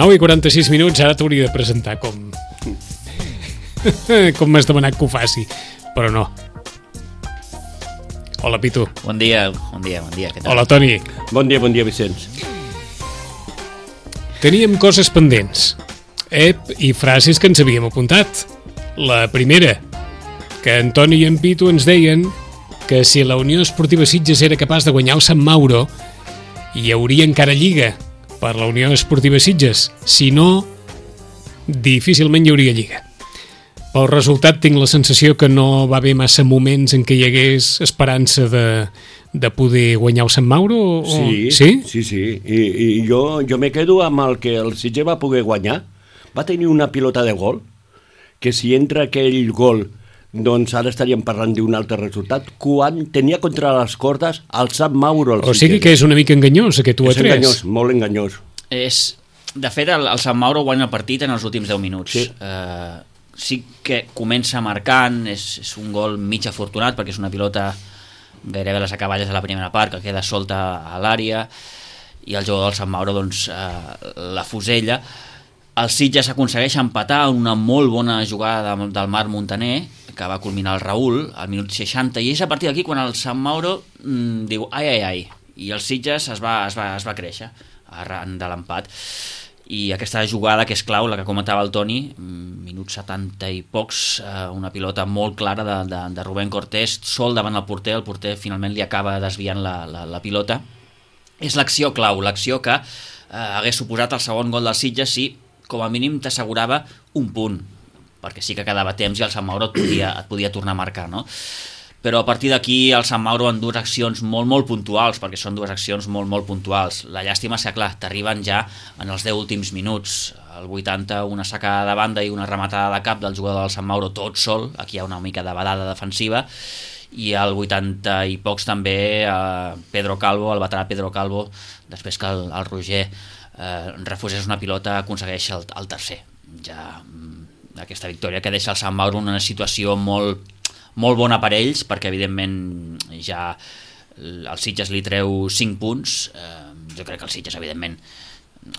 9:46, ara t'hauria de presentar com m'has demanat que ho faci, però no. Hola, Pitu. Bon dia, què tal? Hola, Toni. Bon dia, Vicenç. Teníem coses pendents i frases que ens havíem apuntat. La primera, que en Toni i en Pitu ens deien que si la Unió Esportiva Sitges era capaç de guanyar el Sant Mauro, hi hauria encara lliga per la Unió Esportiva Sitges. Si no, difícilment hi hauria lliga. Pel resultat tinc la sensació que no va haver massa moments en què hi hagués esperança de poder guanyar el Sant Mauro? Sí. I jo me quedo amb el que el Sitges va poder guanyar. Va tenir una pilota de gol, que si entra aquell gol, doncs ara estaríem parlant d'un altre resultat, quan tenia contra les cordes el Sant Mauro. O sigui que és una mica enganyós, aquest 1-3. És enganyós, molt enganyós. De fet, el Sant Mauro guanya el partit en els últims 10 minuts. Sí. Sí que comença marcant, és un gol mig afortunat, perquè és una pilota gairebé a les acaballes de la primera part, que queda solta a l'àrea, i el jugador del Sant Mauro doncs, la fusella. El Sitges aconsegueix empatar una molt bona jugada del Marc Montaner, que va culminar el Raül al minut 60, i és a partir d'aquí quan el Sant Mauro diu ai, i el Sitges es va créixer arran de l'empat. I aquesta jugada que és clau, la que comentava el Toni, minut 70 i pocs, una pilota molt clara de Rubén Cortés, sol davant el porter finalment li acaba desviant la pilota. És l'acció clau, l'acció que hagués suposat el segon gol del Sitges si com a mínim t'assegurava un punt, perquè sí que quedava temps i el Sant Mauro et podia tornar a marcar, no? Però a partir d'aquí el Sant Mauro en dues accions molt puntuals, perquè són dues accions molt puntuals. La llàstima és que, clar, t'arriben ja en els 10 últims minuts. Al 80, una sacada de banda i una rematada de cap del jugador del Sant Mauro tot sol, aquí hi ha una mica de vedada defensiva, i al 80 i pocs també Pedro Calvo, el veterà Pedro Calvo, després que el Roger refusés una pilota, aconsegueix el tercer. Ja aquesta victòria que deixa el Sant Mauro en una situació molt bona per ells, perquè evidentment ja el Sitges li treu 5 punts. Jo crec que el Sitges evidentment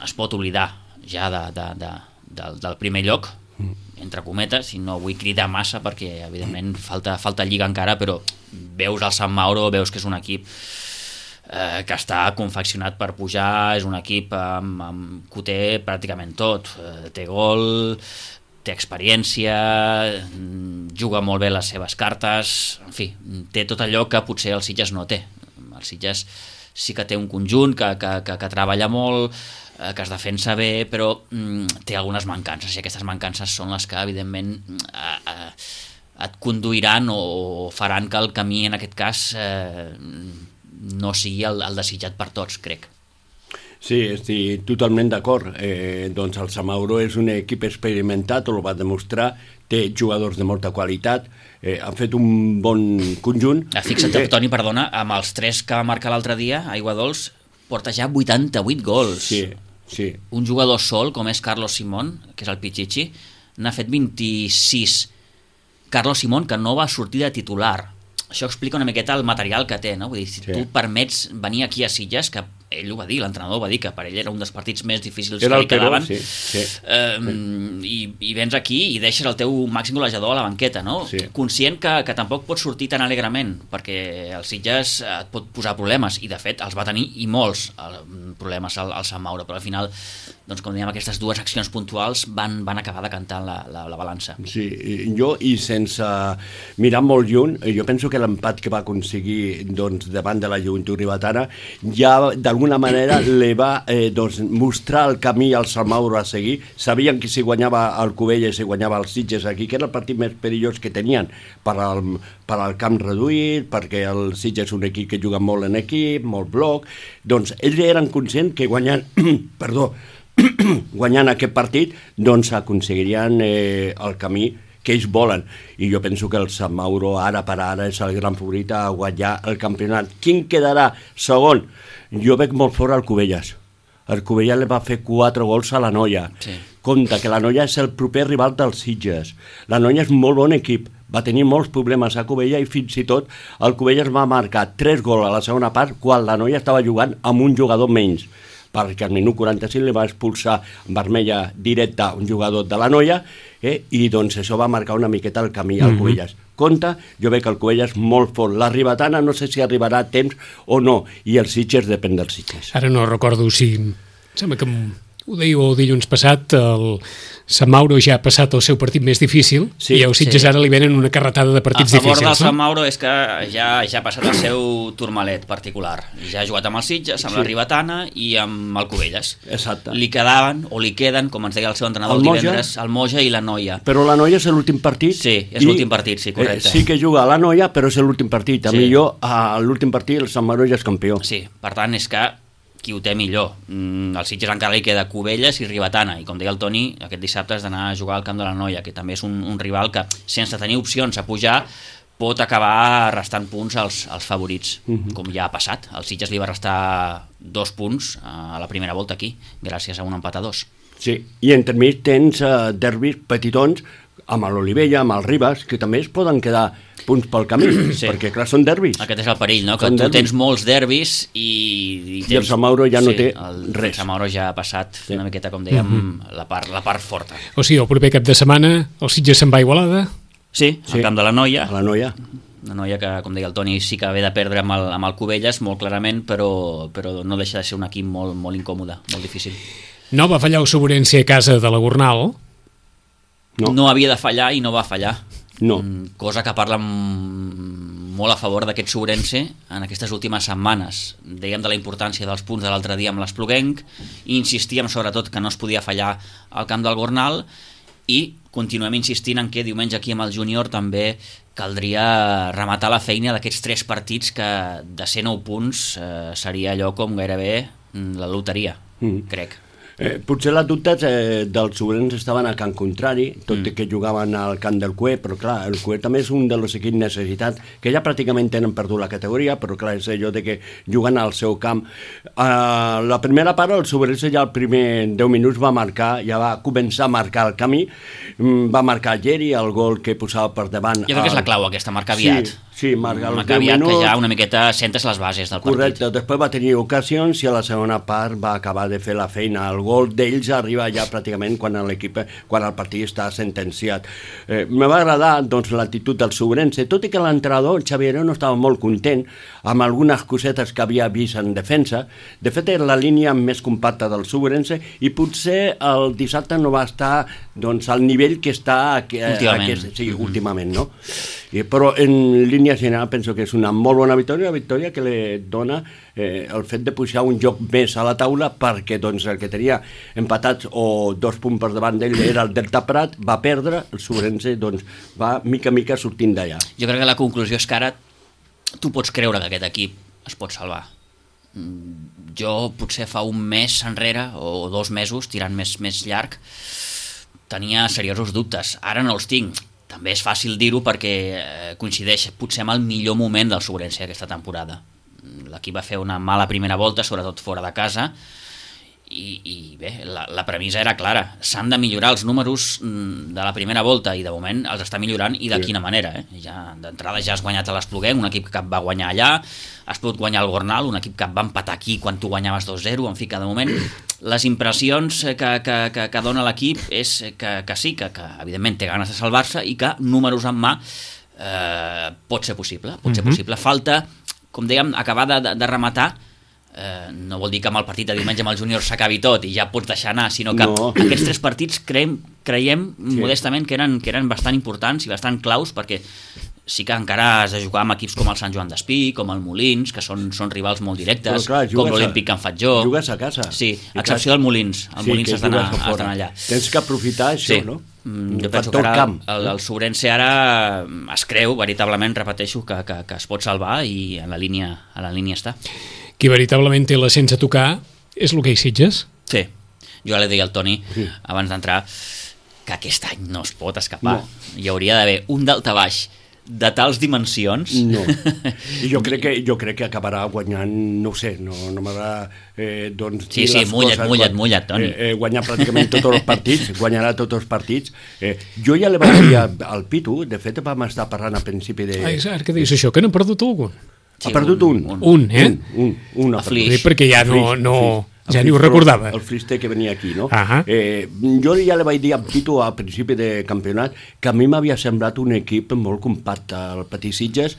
es pot oblidar ja del primer lloc, entre cometes, i no vull cridar massa perquè evidentment falta lliga encara, però veus el Sant Mauro, veus que és un equip que està confeccionat per pujar, és un equip que ho té pràcticament tot, té gol, té experiència, juga molt bé les seves cartes, en fi, té tot allò que potser el Sitges no té. El Sitges sí que té un conjunt que treballa molt, que es defensa bé, però té algunes mancances, i aquestes mancances són les que evidentment et conduiran o faran que el camí en aquest cas no sigui el desitjat per tots, crec. Sí, estic totalment d'acord. Doncs el Sant Mauro és un equip experimentat, ho va demostrar, té jugadors de molta qualitat, han fet un bon conjunt. Fixa't, Toni, perdona, amb els 3 que va marcar l'altre dia, Aigua Dols, porta ja 88 gols. Sí. Un jugador sol, com és Carlos Simón, que és el Pichichi, n'ha fet 26. Carlos Simón, que no va sortir de titular. Això explica una miqueta el material que té, no? Vull dir, si tu permets venir aquí a Sitges, que ell ho va dir, l'entrenador va dir que per ell era un dels partits més difícils que li quedaven, i vens aquí i deixes el teu màxim golejador a la banqueta, no? Sí. Conscient que tampoc pots sortir tan alegrement, perquè el Sitges et pot posar problemes, i de fet els va tenir i molts problemes al Sant Mauro, però al final, doncs com dèiem, aquestes dues accions puntuals van acabar decantant la balança. Sí, jo, i sense mirar molt lluny, jo penso que l'empat que va aconseguir doncs, davant de la Joventut Ribetana ja d'alguna manera li va mostrar el camí al Sant Mauro a seguir. Sabien que si guanyava el Cubelles, si guanyava el Sitges aquí, que era el partit més perillós que tenien per al camp reduït, perquè el Sitges és un equip que juga molt en equip, molt bloc, doncs ells eren conscients que guanyant guanyant aquest partit doncs aconseguirien el camí que ells volen, i jo penso que el Sant Mauro ara per ara és el gran favorit a guanyar el campionat. Quin quedarà segon? Jo veig molt fort el Cubelles. El Cubelles li va fer 4 gols a la Noia. Sí. Compte que la Noia és el proper rival dels Sitges. La Noia és molt bon equip, va tenir molts problemes a Cubelles, i fins i tot el Cubelles va marcar 3 gols a la segona part quan la Noia estava jugant amb un jugador menys. perquè al minut 45 li va expulsar vermella directa un jugador de la Noia, i doncs això va marcar una miqueta el camí al Cubelles. Compte, jo veig que el Cubelles molt fort. La Ribetana no sé si arribarà a temps o no, i els Sitges depèn dels Sitges. Ara no recordo si... Sembla que ho dèieu dilluns passat, el Sant Mauro ja ha passat el seu partit més difícil, i a Sitges ara li venen una carretada de partits difícils. A favor del Sant Mauro és que ja ha passat el seu turmalet particular. Ja ha jugat amb els Sitges, amb la Ribetana i amb el Cubelles. Exacte. Li queden, com ens deia el seu entrenador el divendres, el Moja i la Noia. Però la Noia és l'últim partit. Sí, és l'últim partit, sí, correcte. Sí que juga a la Noia, però és l'últim partit. A millor a l'últim partit el Sant Mauro ja és campió. Sí, per tant és que qui ho té millor. Al Sitges encara li queda Cubelles i Ribetana, i com deia el Toni, aquest dissabte has d'anar a jugar al camp de la Noia, que també és un rival que, sense tenir opcions a pujar, pot acabar restant punts als favorits, com ja ha passat. El Sitges li va restar 2 punts a la primera volta aquí, gràcies a un empat a 2. Sí, i entremig tens derbis petitons, amb l'Olivella, amb el Ribas, que també es poden quedar punts pel camí, perquè clar, són derbis. Aquest és el perill, no? Que tu tens molts derbis i el Sant Mauro ja no té res. El Sant Mauro ja ha passat una miqueta, com dèiem, la part forta. O sigui, el proper cap de setmana el Sitges se'n va a Igualada? Sí, al camp de la Noia. La Noia. Una Noia que, com deia el Toni, sí que ve de perdre amb el Cubelles, molt clarament, però no deixa de ser un equip molt, molt incòmode, molt difícil. No va fallar el Sobrense a casa de la Gornal? No havia de fallar i no va fallar. No. Cosa que parla molt a favor d'aquest Sobrense en aquestes últimes setmanes. Dèiem de la importància dels punts de l'altre dia amb l'Espluguenc, i insistíem sobretot que no es podia fallar al camp del Gornal, i continuem insistint en que diumenge aquí amb el Júnior també caldria rematar la feina d'aquests 3 partits que de ser 9 punts seria allò com gairebé la loteria, crec. Potser les dubtes dels Sobrencs estaven al camp contrari, tot i que jugaven al camp del Cué, però clar, el Cué també és un dels equips necessitats, que ja pràcticament tenen perdut la categoria, però clar, és allò de que juguen al seu camp. La primera part, el Sobrencs ja el primer 10 minuts va marcar, ja va començar a marcar el camí, va marcar Geri, el gol que posava per davant. Jo crec que és la clau aquesta, marcar aviat. Sí, marcar aviat, que ja una miqueta sentes les bases del partit. Correcte, després va tenir ocasions i a la segona part va acabar de fer la feina. El gol d'ells arriba ja pràcticament quan el partit està sentenciat. Me va agradar doncs, l'actitud del Sobrense, tot i que l'entrenador Xavier no estava molt content amb algunes cosetes que havia vist en defensa. De fet, era la línia més compacta del Sobrense i potser el dissabte no va estar doncs, al nivell que està últimament, no? Però en línia general penso que és una molt bona victòria que li dona el fet de pujar un joc més a la taula, perquè doncs, el que tenia empatats o 2 punts per davant d'ell era el Delta Prat, va perdre, el Sobrense doncs, va mica a mica sortint d'allà. Jo crec que la conclusió és que ara tu pots creure que aquest equip es pot salvar. Jo potser fa un mes enrere o 2 mesos, tirant més llarg, tenia seriosos dubtes. Ara no els tinc. També és fàcil dir-ho perquè coincideix potser amb el millor moment del Sobrense aquesta temporada. L'equip va fer una mala primera volta, sobretot fora de casa, i bé, la premissa era clara. S'han de millorar els números de la primera volta, i de moment els està millorant, i de quina manera. Ja, d'entrada ja has guanyat a l'Espluguenc, un equip que va guanyar allà, has pogut guanyar el Gornal, un equip que va empatar aquí quan tu guanyaves 2-0, en fi, que de moment les impressions que dona l'equip és que sí, que evidentment té ganes de salvar-se i que números en mà pot ser possible. Falta, com dèiem, acabar de rematar. No vol dir que amb el partit de diumenge amb el Júnior s'acabi tot i ja pots deixar anar, sinó que aquests 3 partits creiem modestament que eren bastant importants i bastant claus, perquè sí que encara has de jugar amb equips com el Sant Joan d'Espí, com el Molins, que són rivals molt directes, com l'Olímpic Can Fatjó. Jugues a casa. Sí, a excepció del Molins. El Molins has d'anar allà. Tens que aprofitar això, no? Jo penso que ara el Sobrense ara es creu, veritablement, repeteixo, que es pot salvar, i a la línia està. Qui veritablement té la sense tocar és l'hoquei Sitges? Sí, jo ja li deia al Toni abans d'entrar que aquest any no es pot escapar. Hi hauria d'haver un daltabaix de tals dimensions. No, jo crec que acabarà guanyant, no ho sé, no m'agrada doncs dir les coses. Mullat, Toni. Guanyar pràcticament tots els partits, guanyarà tots els partits. Jo ja li vaig dir al Pitu, de fet vam estar parlant al principi de... Ara que dius això, que n'ha perdut algun? Ha perdut un. Un, eh? Un. Perquè ja no... Ja ni ho recordava. El Frister que venia aquí, no? Jo ja li vaig dir a Pitu al principi de campionat que a mi m'havia semblat un equip molt compacte, el Patí Sitges,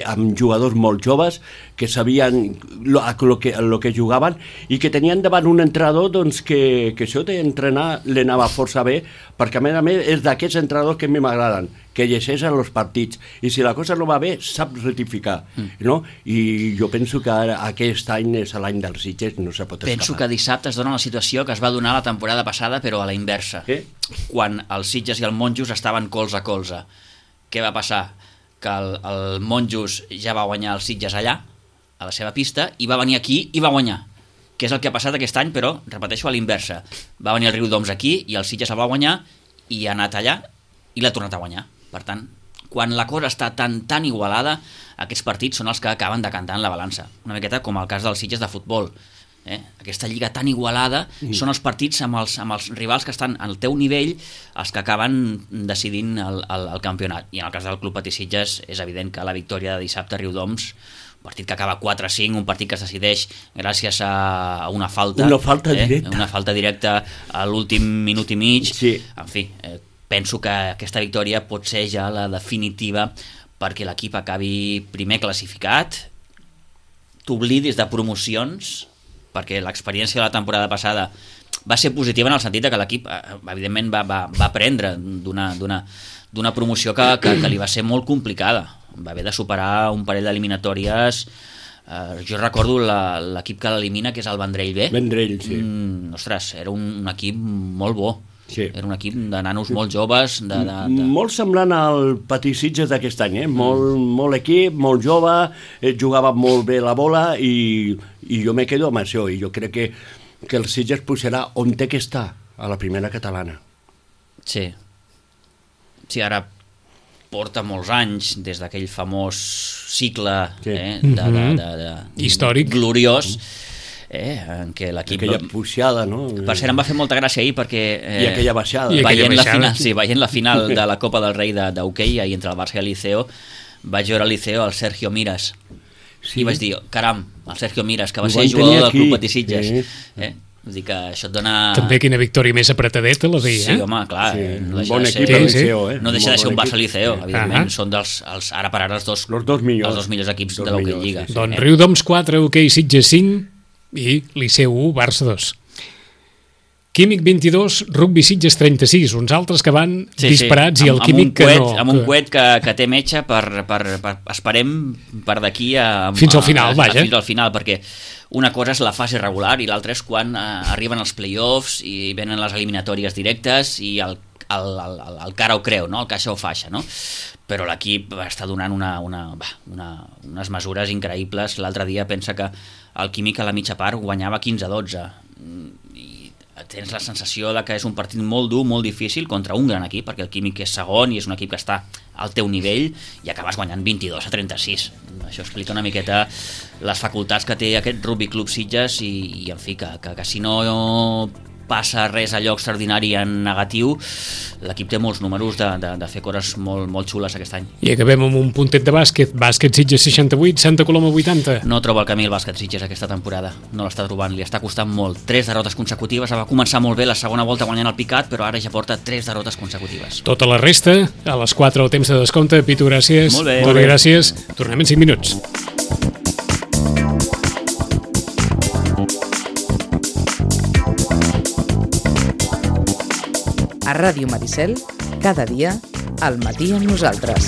amb jugadors molt joves que sabien el que jugaven i que tenien davant un entrenador doncs, que això d'entrenar li anava força bé, perquè a més és d'aquests entrenadors que a mi m'agraden, que llegeixen els partits, i si la cosa no va bé sap rectificar, no? I jo penso que aquest any és l'any dels Sitges, no se pot escapar. Penso que dissabte es dona la situació que es va donar la temporada passada, però a la inversa, quan els Sitges i el Monjos estaven colze a colze. Què va passar? Que el Monjos ja va guanyar els Sitges allà, a la seva pista, i va venir aquí i va guanyar, que és el que ha passat aquest any, però, repeteixo, a l'inversa. Va venir el Riudoms aquí i el Sitges el va guanyar i ha anat allà i l'ha tornat a guanyar. Per tant, quan la cosa està tan igualada, aquests partits són els que acaben decantant la balança. Una miqueta com el cas dels Sitges de futbol. Aquesta lliga tan igualada són els partits amb els rivals que estan al teu nivell els que acaben decidint el campionat. I en el cas del Club Patí Sitges és evident que la victòria de dissabte a Riudoms, un partit que acaba 4-5, un partit que es decideix gràcies a una falta. Una falta directa. Una falta directa a l'últim minut i mig. Sí. En fi, penso que aquesta victòria pot ser ja la definitiva perquè l'equip acabi primer classificat, t'oblidis de promocions, perquè l'experiència de la temporada passada va ser positiva en el sentit que l'equip evidentment va aprendre d'una promoció que li va ser molt complicada. Va haver de superar un parell d'eliminatòries. Jo recordo l'equip que l'elimina, que és el Vendrell B. Vendrell, sí. Ostres, era un equip molt bo. Sí. Era un equip de nanos molt joves. Molt semblant al Patí Sitges d'aquest any, molt equip, molt jove, jugava molt bé la bola i jo me quedo amb això, i jo crec que el Sitges pujarà on té que estar, a la primera catalana. Sí, ara porta molts anys des d'aquell famós cicle històric, gloriós, en què l'equip... Aquella puixada, no? Per cert, em va fer molta gràcia ahir perquè... I aquella baixada. Veient la final de la Copa del Rei d'hoquei ahir entre el Barça i el Liceo, vaig veure al Liceo el Sergio Miras. Sí. I vaig dir, caram, el Sergio Miras, que va ser jugador del Club Patí Sitges. Vull dir que això et dona... També quina victòria més apretadeta la veia, Sí, home, clar. No bon equip al Liceo, no deixa de ser un Barça Liceo, evidentment. Són ara per ara els dos millors equips de l'hoquei Lliga. Doncs Riudoms 4, hoquei Sitges 5 i Liceu 1, Barça 2. Químic 22, Rugby Sitges 36, uns altres que van disparats i el Químic que no... Amb un coet que té metge esperem per d'aquí a... Fins al final, vaja. Fins al final, perquè una cosa és la fase regular i l'altra és quan arriben els play-offs i venen les eliminatòries directes i el cara ho creu, no? El caixa ho faixa, no? Però l'equip està donant unes mesures increïbles. L'altre dia pensa que el Químic a la mitja part guanyava 15-12 i tens la sensació de que és un partit molt dur, molt difícil contra un gran equip, perquè el Químic és segon i és un equip que està al teu nivell i acabes guanyant 22-36. Això explica una miqueta les facultats que té aquest Rugby Club Sitges i en fi, que si no passa res allò extraordinari en negatiu, l'equip té molts números de fer coses molt, molt xules aquest any. I acabem amb un puntet de bàsquet Sitges 68, Santa Coloma 80. No troba el camí el bàsquet Sitges aquesta temporada, no l'està trobant, li està costant molt. 3 derrotes consecutives, va començar molt bé la segona volta guanyant el picat, però ara ja porta 3 derrotes consecutives. Tota la resta, a les 4 al temps de descompte. Pitu, gràcies. Molt bé. Molt bé, gràcies. Tornem en 5 minuts. A Ràdio Maricel, cada dia, al matí amb nosaltres.